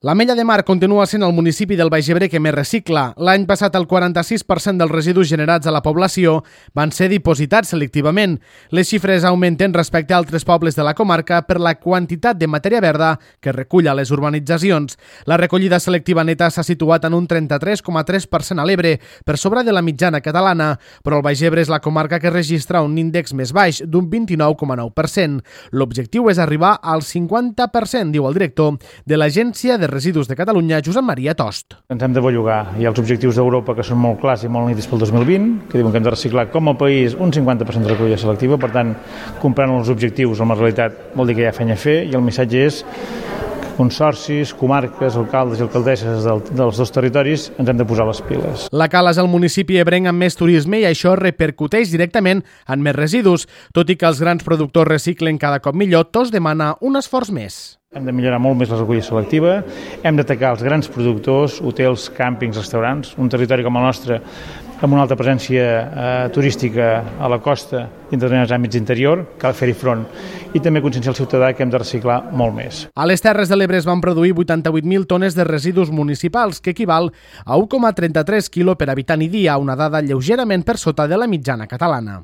L'Ametlla de Mar continua sent el municipi del Baix Ebre que més recicla. L'any passat el 46% dels residus generats a la població van ser dipositats selectivament. Les xifres augmenten respecte a altres pobles de la comarca per la quantitat de matèria verda que recull a les urbanitzacions. La recollida selectiva neta s'ha situat en un 33,3% a l'Ebre, per sobre de la mitjana catalana, però el Baix Ebre és la comarca que registra un índex més baix, d'un 29,9%. L'objectiu és arribar al 50%, diu el director de l'Agència de Residus de Catalunya, Josep Maria Tost. Ens hem de bellugar. Hi ha els objectius d'Europa que són molt clars i molt nítids pel 2020, que diuen que hem de reciclar com a país un 50% de recollida selectiva. Per tant, comprant els objectius amb la realitat vol dir que hi ha feina a fer, i el missatge és que consorcis, comarques, alcaldes i alcaldesses dels dos territoris ens hem de posar les piles. La Cala és el municipi ebrenc amb més turisme i això repercuteix directament en més residus. Tot i que els grans productors reciclen cada cop millor, Tost demana un esforç més. Hem de millorar molt més la recollida selectiva, hem d'atacar els grans productors, hotels, càmpings, restaurants, un territori com el nostre amb una alta presència turística a la costa i en determinats àmbits interior, cal fer-hi front, i també conscienciar el ciutadà que hem de reciclar molt més. A les Terres de l'Ebre es van produir 88.000 tones de residus municipals, que equival a 1,33 quilo per habitant i dia, una dada lleugerament per sota de la mitjana catalana.